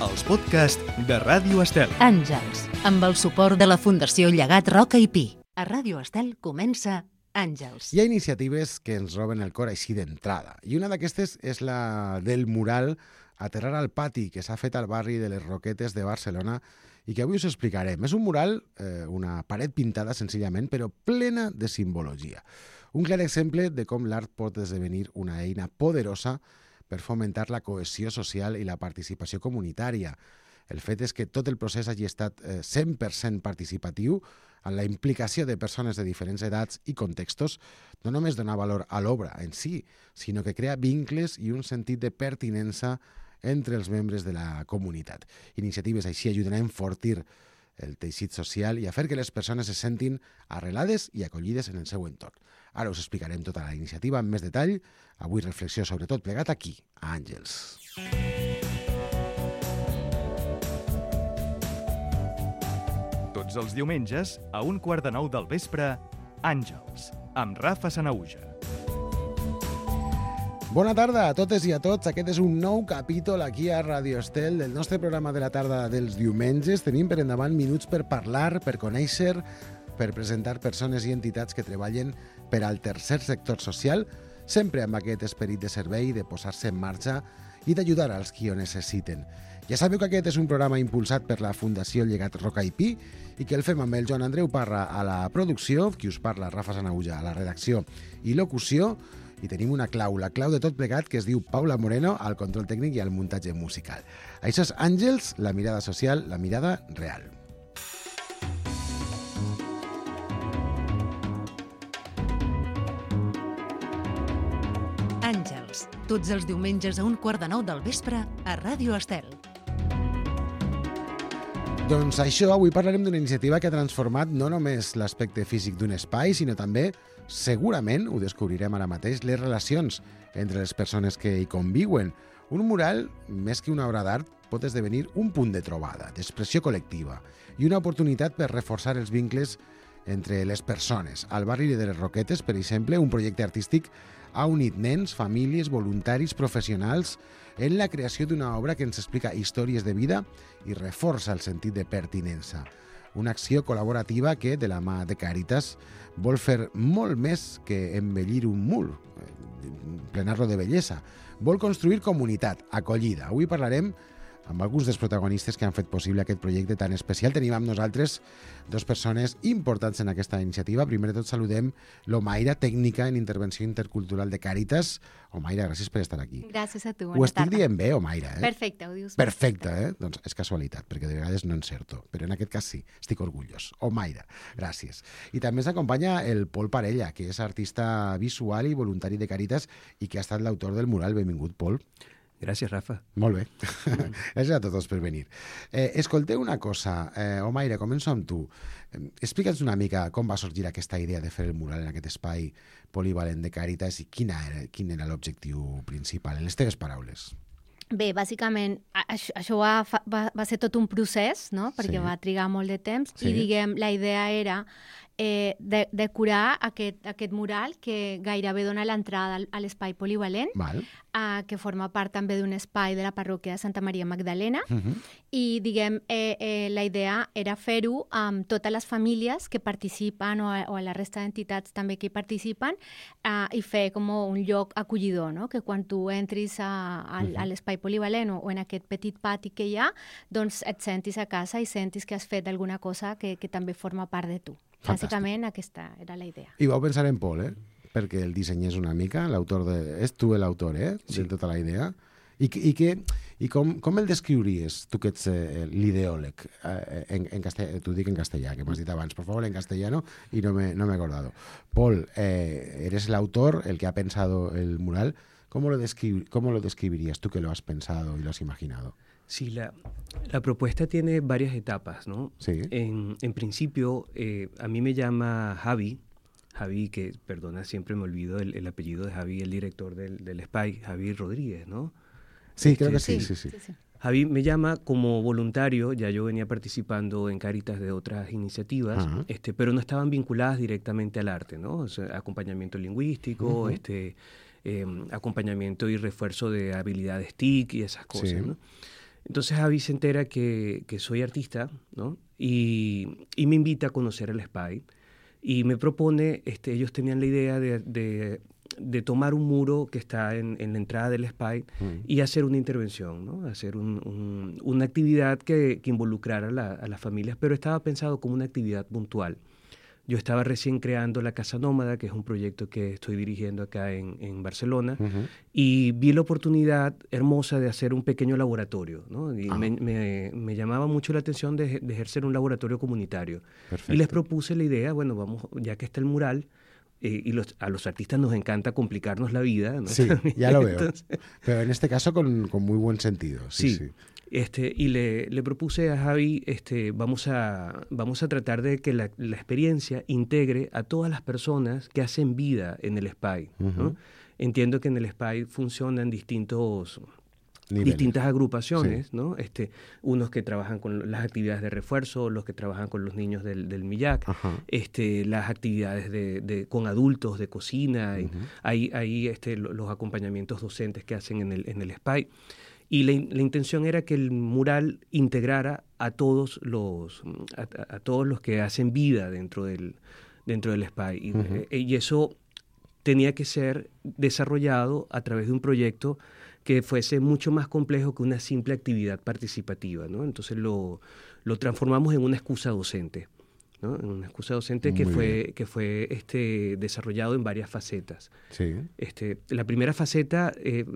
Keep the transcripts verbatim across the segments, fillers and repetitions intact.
els podcasts de Ràdio Estel. Àngels, amb el suport de la Fundació Llegat Roca i Pi. A Ràdio Estel comença Àngels. Hi ha iniciatives que ens roben el cor així d'entrada. I una d'aquestes és la del mural Aterrar al pati, que s'ha fet al barri de les Roquetes de Barcelona i que avui us explicarem. És un mural, eh, una paret pintada senzillament, però plena de simbologia. Un clar exemple de com l'art pot esdevenir una eina poderosa per fomentar la cohesió social i la participació comunitària. El fet és que tot el procés hagi estat eh, cent per cent participatiu, en la implicació de persones de diferents edats i contextos, no només dona valor a l'obra en si, sinó que crea vincles i un sentit de pertinença entre els membres de la comunitat. Iniciatives així ajuden a enfortir el teixit social i a fer que les persones se sentin arrelades i acollides en el seu entorn. Ara us explicarem tota la iniciativa amb més detall. Avui reflexió sobre tot plegat aquí, a Àngels. Tots els diumenges, a un quart de nou del vespre, Àngels, amb Rafa Sanahuja. Bona tarda a totes i a tots. Aquest és un nou capítol aquí a Ràdio Estel del nostre programa de la tarda dels diumenges. Tenim per endavant minuts per parlar, per conèixer, per presentar persones i entitats que treballen per al tercer sector social, sempre amb aquest esperit de servei, de posar-se en marxa i d'ajudar als qui ho necessiten. Ja sabeu que aquest és un programa impulsat per la Fundació Llegat Roca i Pi i que el fem amb el Joan Andreu Parra a la producció, qui us parla, Rafa Sanahuja, a la redacció i locució, i tenim una clau, la clau de tot plegat, que es diu Paula Moreno, al control tècnic i al muntatge musical. Això és Àngels, la mirada social, la mirada real. Àngels, tots els diumenges a un quart de nou del vespre a Ràdio Estel. Doncs això, avui parlarem d'una iniciativa que ha transformat no només l'aspecte físic d'un espai, sinó també, segurament, ho descobrirem ara mateix, les relacions entre les persones que hi conviuen. Un mural, més que una obra d'art, pot esdevenir un punt de trobada, d'expressió col·lectiva i una oportunitat per reforçar els vincles entre les persones. Al barri de les Roquetes, per exemple, un projecte artístic ha unit nens, famílies, voluntaris, professionals en la creació d'una obra que ens explica històries de vida i reforça el sentit de pertinença. Una acció col·laborativa que, de la mà de Càritas, vol fer molt més que embellir un mur, plenar-lo de bellesa. Vol construir comunitat, acollida. Avui parlarem amb alguns dels protagonistes que han fet possible aquest projecte tan especial. Tenim amb nosaltres dues persones importants en aquesta iniciativa. Primer de tot saludem l'Omaira, tècnica en intervenció intercultural de Càritas. Omaira, gràcies per estar aquí. Gràcies a tu, bona tarda. Ho estic dient bé, Omaira, eh? Perfecte, ho dius. Perfecte, eh? Doncs és casualitat, perquè de vegades no encerto, però en aquest cas sí, estic orgullós. Omaira, gràcies. I també ens acompanya el Pol Parella, que és artista visual i voluntari de Càritas i que ha estat l'autor del mural. Benvingut, Pol. Gràcies, Rafa. Molt bé. Mm. Gràcies a tots per venir. Eh, escolteu una cosa. Eh, Omaira, començo amb tu. Eh, Explica'ns una mica com va sorgir aquesta idea de fer el mural en aquest espai polivalent de Càritas i quina era, quin era l'objectiu principal, en les teves paraules. Bé, bàsicament, això, això va, va, va ser tot un procés, no? Perquè Sí. va trigar molt de temps Sí. i, diguem, la idea era eh, de, de curar aquest, aquest mural que gairebé dona l'entrada al- a l'espai polivalent, Val. eh, que forma part també d'un espai de la parròquia de Santa Maria Magdalena. Uh-huh. I, diguem, eh, eh, la idea era fer-ho amb totes les famílies que participen o a, o a la resta d'entitats també que hi participen eh, i fer com un lloc acollidor, no? Que quan tu entris a, a, a l'espai polivalent o, o en aquest petit pati que hi ha, doncs et sentis a casa i sentis que has fet alguna cosa que, que també forma part de tu. Fantàstic. Bàsicament aquesta era la idea. I vau pensar en Pol, eh? Perquè el dissenyés una mica, l'autor de... És tu l'autor, eh? Sí. De tota la idea. I, i, que, i com, com el descriuries, tu que ets eh, l'ideòleg, eh, en, en castellà, t'ho dic en castellà, que m'has dit abans, por favor, en castellano, y no me, no me he acordado. Pol, eh, eres el autor, el que ha pensado el mural. ¿Cómo lo, descri ¿Cómo lo describirías tú que lo has pensado y lo has imaginado? Sí, la, la propuesta tiene varias etapas, ¿no? Sí. En, en principio, eh, a mí me llama Javi, Javi, que, perdona, siempre me olvido el, el apellido de Javi, el director del, del S P A I, Javi Rodríguez, ¿no? Sí, creo que sí, Sí, sí, sí. sí, sí. Javi me llama como voluntario, ya yo venía participando en Càritas de otras iniciativas, Ajá. este, pero no estaban vinculadas directamente al arte, ¿no? O sea, acompañamiento lingüístico, Ujú. este, eh, acompañamiento y refuerzo de habilidades T I C y esas cosas, Sí. ¿no? Entonces Javi se entera que, que soy artista, ¿no? Y, y me invita a conocer el S P Y y me propone, este, ellos tenían la idea de, de, de tomar un muro que está en, en la entrada del S P Y mm. y hacer una intervención, ¿no? Hacer un, un, una actividad que, que involucrara a, la, a las familias, pero estaba pensado como una actividad puntual. Yo estaba recién creando la Casa Nómada, que es un proyecto que estoy dirigiendo acá en, en Barcelona, uh-huh. y vi la oportunidad hermosa de hacer un pequeño laboratorio, ¿no? Y uh-huh. me, me, me llamaba mucho la atención de, de ejercer un laboratorio comunitario. Perfecto. Y les propuse la idea, bueno, vamos, ya que está el mural, eh, y los, a los artistas nos encanta complicarnos la vida, ¿no? Sí, ya lo veo. Entonces, pero en este caso con, con muy buen sentido. Sí, sí. sí. Este, y le, le propuse a Javi, este, vamos, a, vamos a tratar de que la, la experiencia integre a todas las personas que hacen vida en el S P Y, ¿no? Uh-huh. Entiendo que en el S P Y funcionan distintos, distintas agrupaciones, sí. ¿no? Este, unos que trabajan con las actividades de refuerzo, los que trabajan con los niños del, del MILLAC, uh-huh. este, las actividades de, de, con adultos de cocina, uh-huh. y hay, hay este, los acompañamientos docentes que hacen en el, en el S P Y. Y la, la intención era que el mural integrara a todos los, a, a todos los que hacen vida dentro del, dentro del S P Y. Uh-huh. Y, y eso tenía que ser desarrollado a través de un proyecto que fuese mucho más complejo que una simple actividad participativa, ¿no? Entonces lo, lo transformamos en una excusa docente, ¿no? En una excusa docente que fue, que fue este, desarrollado en varias facetas. Sí. Este, la primera faceta... Eh,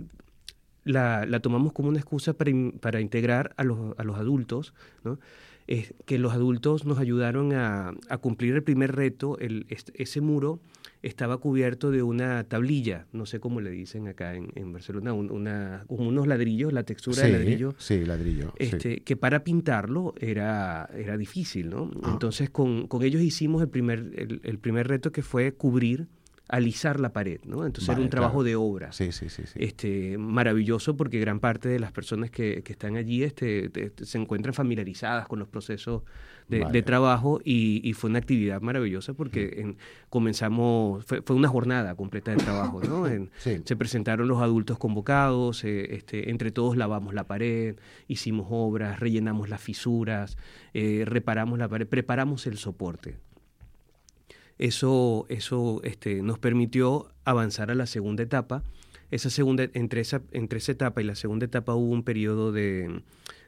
La, la tomamos como una excusa para, in, para integrar a los, a los adultos, ¿no? Es que los adultos nos ayudaron a, a cumplir el primer reto. El, este, ese muro estaba cubierto de una tablilla, no sé cómo le dicen acá en, en Barcelona, un, una, como unos ladrillos, la textura sí, de ladrillo. Sí, ladrillo. Este, sí. Que para pintarlo era, era difícil, ¿no? Ah. Entonces con, con ellos hicimos el primer, el, el primer reto, que fue cubrir, alisar la pared, ¿no? Entonces vale, era un trabajo claro. de obra. Sí, sí, sí, sí. Este, maravilloso, porque gran parte de las personas que, que están allí este, te, te, se encuentran familiarizadas con los procesos de, vale. de trabajo y, y fue una actividad maravillosa porque en, comenzamos, fue, fue una jornada completa de trabajo, ¿no? En, sí. Se presentaron los adultos convocados, eh, este, entre todos lavamos la pared, hicimos obras, rellenamos las fisuras, eh, reparamos la pared, preparamos el soporte. Eso, eso este, nos permitió avanzar a la segunda etapa. Esa segunda, entre, esa, entre esa etapa y la segunda etapa hubo un periodo de,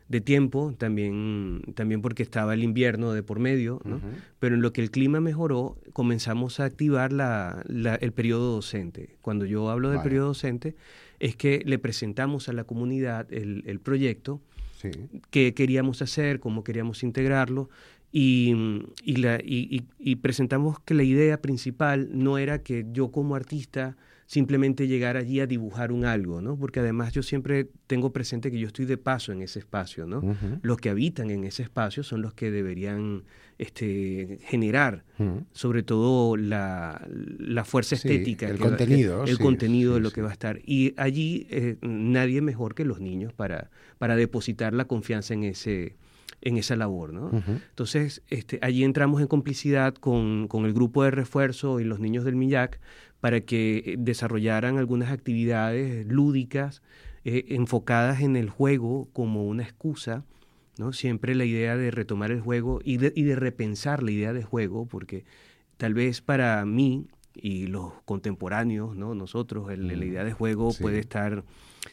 de tiempo, también, también porque estaba el invierno de por medio, ¿no? Uh-huh. Pero en lo que el clima mejoró, comenzamos a activar la, la, el periodo docente. Cuando yo hablo del vale. periodo docente, es que le presentamos a la comunidad el, el proyecto, sí. qué queríamos hacer, cómo queríamos integrarlo, Y, y, la, y, y presentamos que la idea principal no era que yo como artista simplemente llegar allí a dibujar un algo, ¿no? Porque además yo siempre tengo presente que yo estoy de paso en ese espacio, ¿no? Uh-huh. Los que habitan en ese espacio son los que deberían este, generar, uh-huh. sobre todo la, la fuerza sí, estética. El que contenido. Va, que, el sí, contenido sí, de lo sí. que va a estar. Y allí eh, nadie mejor que los niños para, para depositar la confianza en ese... en esa labor, ¿no? Uh-huh. Entonces, este, allí entramos en complicidad con, con el grupo de refuerzo y los niños del MILLAC para que desarrollaran algunas actividades lúdicas eh, enfocadas en el juego como una excusa, ¿no? Siempre la idea de retomar el juego y de, y de repensar la idea de juego, porque tal vez para mí y los contemporáneos, ¿no? Nosotros, el, mm. la idea de juego sí. puede estar...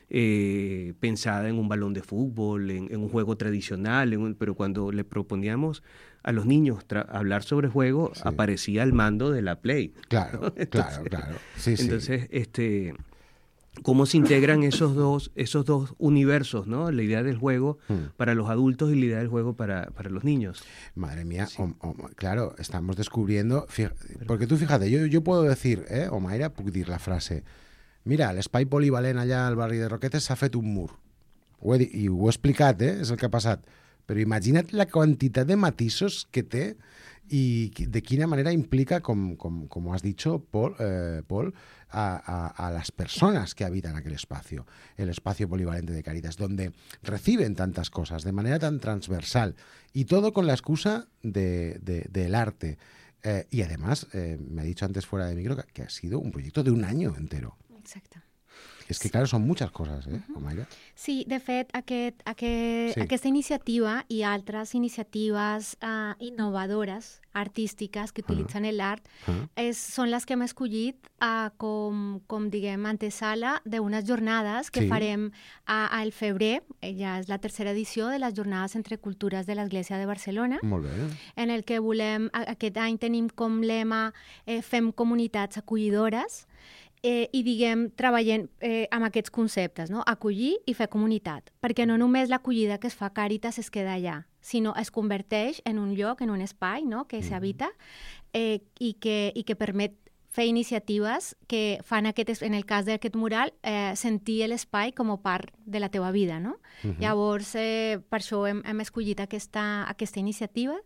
Eh, pensada en un balón de fútbol, en, en un juego tradicional, en un, pero cuando le proponíamos a los niños tra- hablar sobre juego, sí. aparecía el mando de la Play. Claro, entonces, claro, claro. Sí, entonces, sí. este, ¿cómo se integran esos dos, esos dos universos, ¿no? La idea del juego hmm. para los adultos y la idea del juego para, para los niños. Madre mía, sí. o, o, claro, estamos descubriendo... Fíjate, porque tú fíjate, yo, yo puedo decir, eh, o Mayra puc dir la frase... Mira, l'espai polivalent allà al barri de Roquetes s'ha fet un mur. Ho he dit, i ho he explicat, eh? És el que ha passat. Però imagina't la quantitat de matisos que té i de quina manera implica, com, com, com has dicho, Paul, eh, Paul a, a, a las personas que habitan aquel espacio, el espacio polivalente de Cáritas, donde reciben tantas cosas de manera tan transversal y todo con la excusa de, de, del arte. Eh, y además, eh, me ha dicho antes fuera de micro que, que ha sido un proyecto de un año entero. Exacto. És que, clar, són moltes coses, eh, uh-huh. Omaira? Sí, de fet, aquest, aquest, sí. aquesta iniciativa i altres iniciatives uh, innovadores, artístiques, que utilitzen uh-huh. l'art, uh-huh. és, són les que hem escollit uh, com, com, diguem, antesala d'unes jornades que sí. farem uh, al febrer, ja és la tercera edició de les Jornades entre Cultures de l'Església de Barcelona, molt bé. En el que volem, aquest any tenim com lema eh, fem comunitats acollidores, Eh, i, diguem, treballem eh, amb aquests conceptes, no? Acollir i fer comunitat, perquè no només l'acollida que es fa a Càritas es queda allà, sinó es converteix en un lloc, en un espai, no? Que mm. s'habita eh, i, que, i que permet fer iniciatives que fan, aquest, en el cas d'aquest mural, eh, sentir l'espai com a part de la teva vida, no? Uh-huh. Llavors, eh, per això hem, hem escollit aquesta, aquesta iniciativa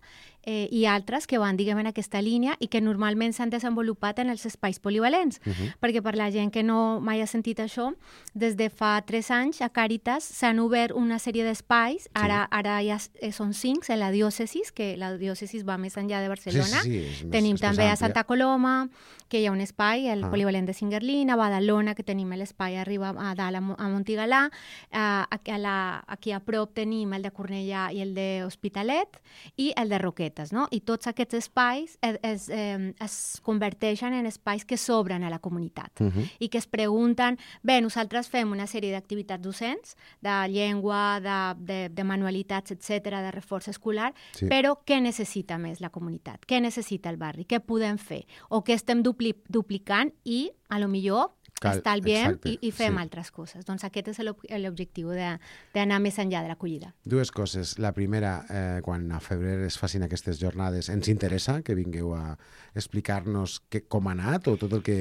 eh, i altres que van, diguem, en aquesta línia i que normalment s'han desenvolupat en els espais polivalents, uh-huh. perquè per la gent que no mai ha sentit això, des de fa tres anys a Càritas s'han obert una sèrie d'espais, ara, sí. ara ja són cinc en la diòcesis, que la diòcesis va més enllà de Barcelona. Sí, sí, sí, és tenim més, també és a Santa Coloma, que hi ha un espai, el ah. polivalent de Singuerlín, a Badalona, que tenim l'espai arriba a dalt a Montigalà, a, a la, aquí a prop tenim el de Cornellà i el de Hospitalet i el de Roquetes, no? I tots aquests espais es, es, eh, es converteixen en espais que s'obren a la comunitat uh-huh. i que es pregunten, bé, nosaltres fem una sèrie d'activitats docents, de llengua, de, de, de manualitats, etcètera, de reforç escolar, sí. però què necessita més la comunitat? Què necessita el barri? Què podem fer? O què estem dupli duplicant i, a lo millor, Cal, estalviem i, i fem sí. altres coses. Doncs aquest és l'objectiu d'anar més enllà de l'acollida. Dues coses. La primera, eh, quan a febrer es facin aquestes jornades, ens interessa que vingueu a explicar-nos que, com ha anat o tot el que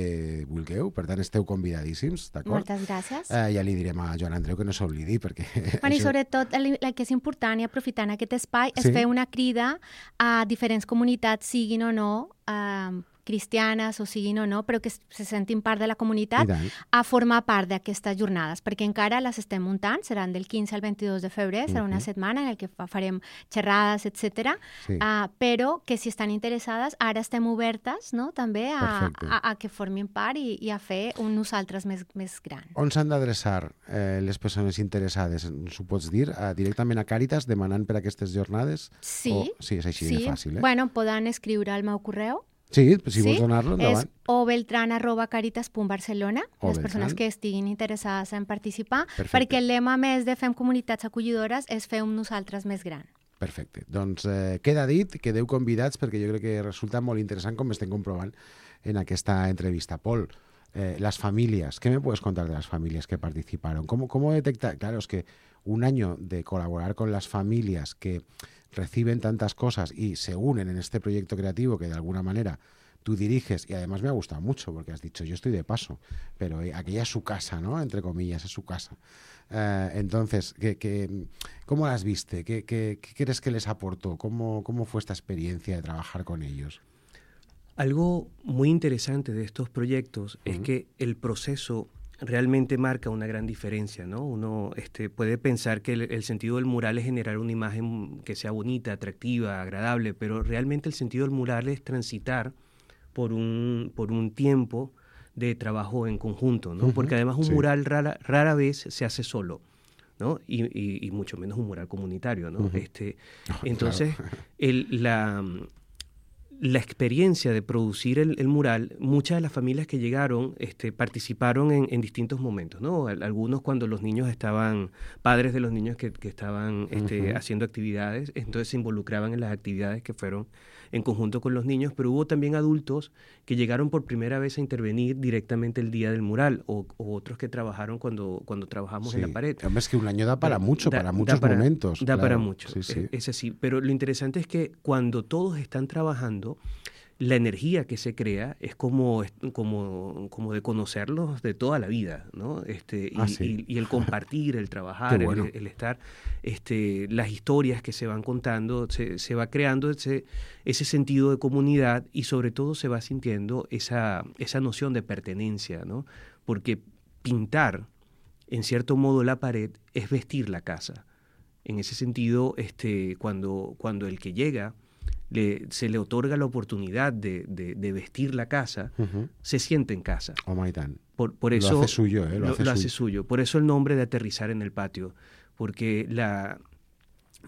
vulgueu. Per tant, esteu convidadíssims, d'acord? Moltes gràcies. Eh, ja li direm a Joan Andreu que no s'oblidi, perquè... Bueno, això... I sobretot, el, el que és important i aprofitant aquest espai és sí? fer una crida a diferents comunitats, siguin o no, eh, cristianes o siguin o no, però que se sentin part de la comunitat a formar part d'aquestes jornades, perquè encara les estem muntant, seran del quinze al vint-i-dos de febrer, serà una uh-huh. setmana en què farem xerrades, etcètera. Sí. Uh, però que si estan interessades, ara estem obertes, no?, també a, a, a que formin part i, i a fer un nosaltres més, més gran. On s'han d'adreçar eh, les persones interessades? Ens ho pots dir? Uh, directament a Càritas, demanant per aquestes jornades? Sí. O, sí, és així sí. de fàcil, eh? Bueno, poden escriure al meu correu. Sí, si sí? vols donar-lo, endavant. És o beltran arroba caritas punt barcelona, o les persones Beltran. que estiguin interessades en participar, Perfecte. Perquè el lema més de Fem Comunitats Acollidores és fer un nosaltres més gran. Perfecte. Doncs eh, queda dit, quedeu convidats, perquè jo crec que resulta molt interessant, com estem comprovant en aquesta entrevista. Pol, eh, las familias, ¿qué me puedes contar de las familias que participaron? ¿Cómo, cómo detectar? Claro, es que un año de colaborar con las familias que reciben tantas cosas y se unen en este proyecto creativo que de alguna manera tú diriges, y además me ha gustado mucho porque has dicho, yo estoy de paso, pero aquella es su casa, ¿no?, entre comillas, es su casa. Eh, entonces, ¿qué, qué, ¿cómo las viste? ¿Qué, qué, qué crees que les aportó? ¿Cómo, ¿Cómo fue esta experiencia de trabajar con ellos? Algo muy interesante de estos proyectos uh-huh. es que el proceso realmente marca una gran diferencia, ¿no? Uno este, puede pensar que el, el sentido del mural es generar una imagen que sea bonita, atractiva, agradable, pero realmente el sentido del mural es transitar por un, por un tiempo de trabajo en conjunto, ¿no? Uh-huh. Porque además un sí. mural rara, rara vez se hace solo, ¿no? Y, y, y mucho menos un mural comunitario, ¿no? Uh-huh. este, oh, entonces, claro. el, la... La experiencia de producir el, el mural, muchas de las familias que llegaron este, participaron en, en distintos momentos, ¿no? Algunos cuando los niños estaban, padres de los niños que, que estaban este, uh-huh. haciendo actividades, entonces se involucraban en las actividades que fueron en conjunto con los niños, pero hubo también adultos que llegaron por primera vez a intervenir directamente el día del mural, o, o otros que trabajaron cuando, cuando trabajamos sí. en la pared. Es que un año da para mucho, da, para muchos da para, momentos. Da claro. para mucho, sí, sí. Es, es así. Pero lo interesante es que cuando todos están trabajando, la energía que se crea es como, como, como de conocerlos de toda la vida, ¿no? Este, y, ah, sí. y, y el compartir, el trabajar, bueno. el, el estar, este, las historias que se van contando, se, se va creando ese, ese sentido de comunidad y sobre todo se va sintiendo esa, esa noción de pertenencia, ¿no? Porque pintar, en cierto modo, la pared es vestir la casa. En ese sentido, este, cuando, cuando el que llega Le, se le otorga la oportunidad de, de, de vestir la casa, uh-huh. se siente en casa. Oh, my God. por, por eso, lo hace suyo, ¿eh? Lo, lo, hace, lo suyo. hace suyo. Por eso el nombre de Aterrizar en el Patio, porque la,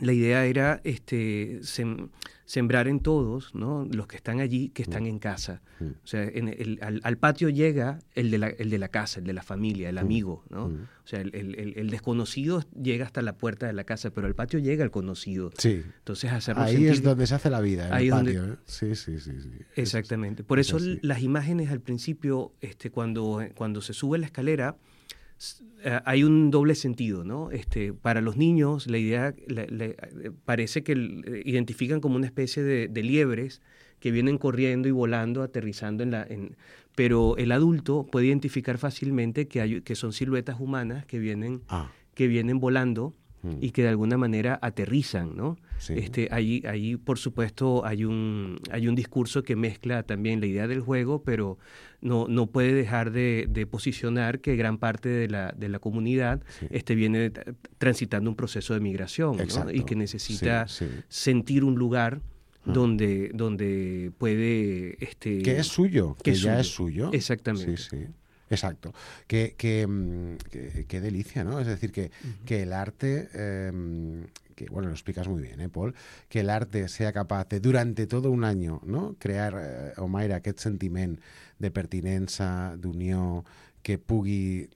la idea era este, sem, sembrar en todos, ¿no? Los que están allí, que están mm. en casa. Mm. O sea, en el, al, al patio llega el de, la, el de la casa, el de la familia, el amigo, ¿no? Mm. O sea, el, el, el desconocido llega hasta la puerta de la casa, pero al patio llega el conocido. Sí. Entonces, hacerlo ahí sentir... es donde se hace la vida, en ahí el patio. Donde... ¿eh? Sí, sí, sí, sí. Exactamente. Por eso es las imágenes al principio, este, cuando, cuando se sube la escalera, hay un doble sentido, ¿no? Este, para los niños, la idea la, la, parece que el, identifican como una especie de, de liebres que vienen corriendo y volando, aterrizando en la... En, pero el adulto puede identificar fácilmente que, hay, que son siluetas humanas que vienen, ah. que vienen volando mm. y que de alguna manera aterrizan, ¿no? Sí. Este, ahí, ahí, por supuesto, hay un, hay un discurso que mezcla también la idea del juego, pero no, no puede dejar de, de posicionar que gran parte de la, de la comunidad sí. este, viene transitando un proceso de migración, ¿no? Y que necesita sí, sí. sentir un lugar donde, donde puede... Este, que es suyo, que, que es ya suyo. es suyo. Exactamente. Sí, sí. Exacto. Qué que, que, que delicia, ¿no? Es decir, que, uh-huh. que el arte... Eh, que, bueno, lo explicas muy bien, ¿eh, Pol? Que el arte sea capaz de, durante todo un año, no? crear, eh, Omaira, aquest sentiment de pertinença, d'unió, que pugui...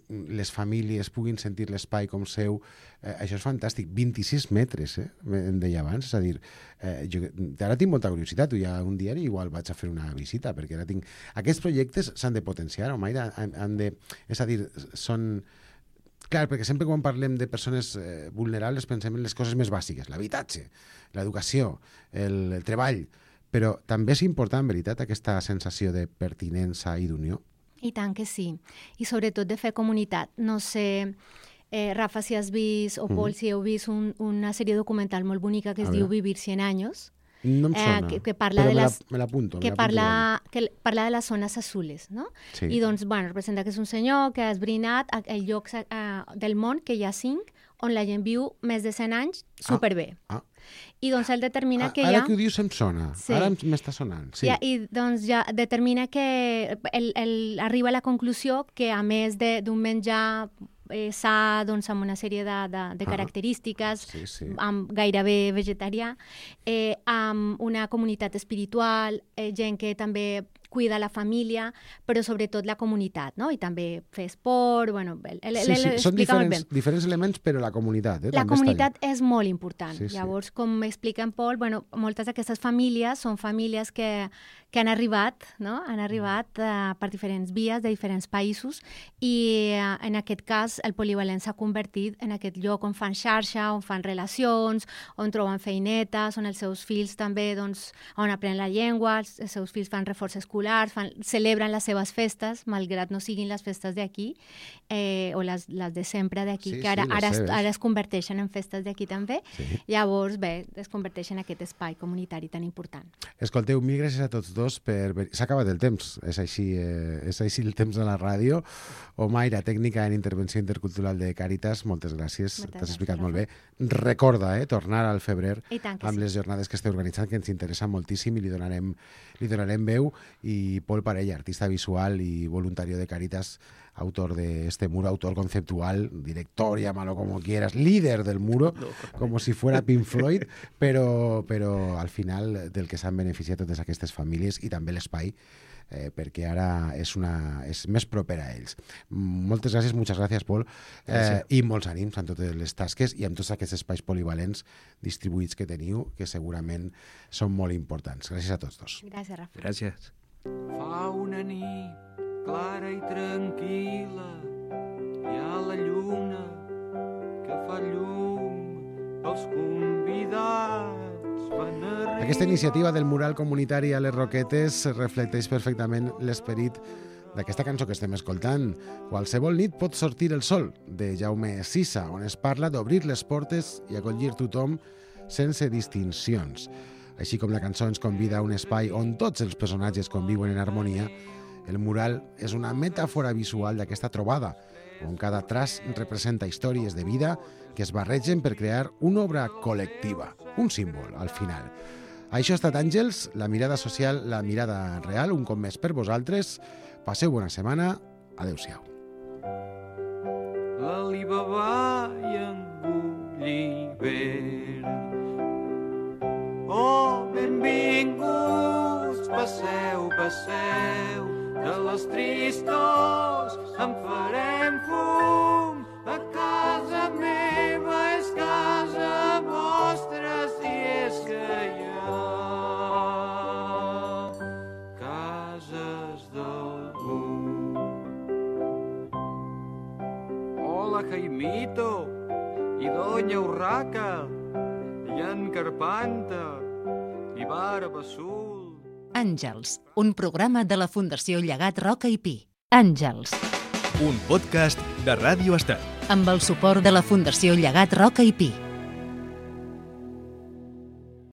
les famílies puguin sentir l'espai com seu, eh, això és fantàstic. vint-i-sis metres, eh, em deia abans, és a dir, eh, jo ara tinc molta curiositat, ja un dia igual vaig a fer una visita, perquè ara tinc... Aquests projectes s'han de potenciar, Omaira, han, han de... És a dir, són... Clar, perquè sempre quan parlem de persones eh, vulnerables pensem en les coses més bàsiques, l'habitatge, l'educació, el, el treball, però també és important, en veritat, aquesta sensació de pertinença i d'unió. I tant que sí, i sobretot de fer comunitat. No sé, eh, Rafa, si has vist, o Pol, mm. si heu vist un, una sèrie documental molt bonica que es diu Vivir cien años. No em sona, eh, que, que parla però de les, me l'apunto. Que, parla, que parla de les zones azules, no? Sí. I doncs, bueno, representa que és un senyor que ha esbrinat el lloc eh, del món, que hi ha cinc, on la gent viu més de cent anys superbé. Ah, ah. I doncs ell determina ah, que hi ha... Ara que ho dius em sona, sí. ara m'està sonant. Sí. Ja, I doncs ja determina que el, el, arriba a la conclusió que a més d'un menjar eh, sa, doncs amb una sèrie de, de, de característiques, ah, sí, sí. amb gairebé vegetarià, eh, amb una comunitat espiritual, eh, gent que també cuida la família, però sobretot la comunitat, no? I també fer esport, bueno... El, el, sí, sí, són diferents, diferents elements, però la comunitat, eh? La també comunitat és molt important. Sí, sí. Llavors, com explica en Pol, bueno, moltes d'aquestes famílies són famílies que, que han arribat, no? Han arribat uh, per diferents vies de diferents països i uh, en aquest cas el polivalent s'ha convertit en aquest lloc on fan xarxa, on fan relacions, on troben feinetes, on els seus fills també, doncs, on aprenen la llengua, els, els seus fills fan reforç escolar, Fan, celebren les seves festes, malgrat no siguin les festes d'aquí, eh, o les, les de sempre d'aquí, sí, que ara, sí, ara, es, ara es converteixen en festes d'aquí també. Sí. Llavors, bé, es converteix en aquest espai comunitari tan important. Escolteu, mil gràcies a tots dos per... S'ha acabat el temps, és així, eh, és així el temps de la ràdio. Omaira, tècnica en intervenció intercultural de Càritas, moltes gràcies, t'has explicat molt bé. Recorda, eh, tornar al febrer amb sí. les jornades que esteu organitzant, que ens interessa moltíssim i li donarem, li donarem veu. I Pol Parella, artista visual y voluntario de Càritas, autor de este muro, autor conceptual, director, llámalo como quieras, líder del muro, no, como si fuera Pink Floyd, però, però al final del que s'han beneficiat totes aquestes famílies i també l'espai, eh, perquè ara és, una, és més proper a ells. Moltes gràcies, moltes gràcies, Pol, eh, i molts ànims en totes les tasques i en tots aquests espais polivalents distribuïts que teniu, que segurament són molt importants. Gràcies a tots dos. Gràcies, Rafa. Gràcies. Fa una nit clara i tranquil·la, hi ha la lluna que fa llum, els convidats van a rir. Aquesta iniciativa del mural comunitari a les Roquetes reflecteix perfectament l'esperit d'aquesta cançó que estem escoltant. Qualsevol nit pot sortir el sol, de Jaume Sisa, on es parla d'obrir les portes i acollir tothom sense distincions. Així com la cançó ens convida a un espai on tots els personatges conviuen en harmonia, el mural és una metàfora visual d'aquesta trobada, on cada traç representa històries de vida que es barregen per crear una obra col·lectiva, un símbol, al final. Això ha estat Àngels, la mirada social, la mirada real, un cop més per vosaltres. Passeu bona setmana Adéu-siau. L'Alibaba i en Gulliver. Oh, benvinguts, passeu, passeu, de les tristors en farem fum. A casa meva és casa vostra, si és que hi ha cases d'algú. Hola, Jaimito, i Doña Urraca, i en Carpanta, i Barba Azul. Àngels, un programa de la Fundació Llegat Roca i Pi. Àngels. Un podcast de Ràdio Estel. Amb el suport de la Fundació Llegat Roca i Pi.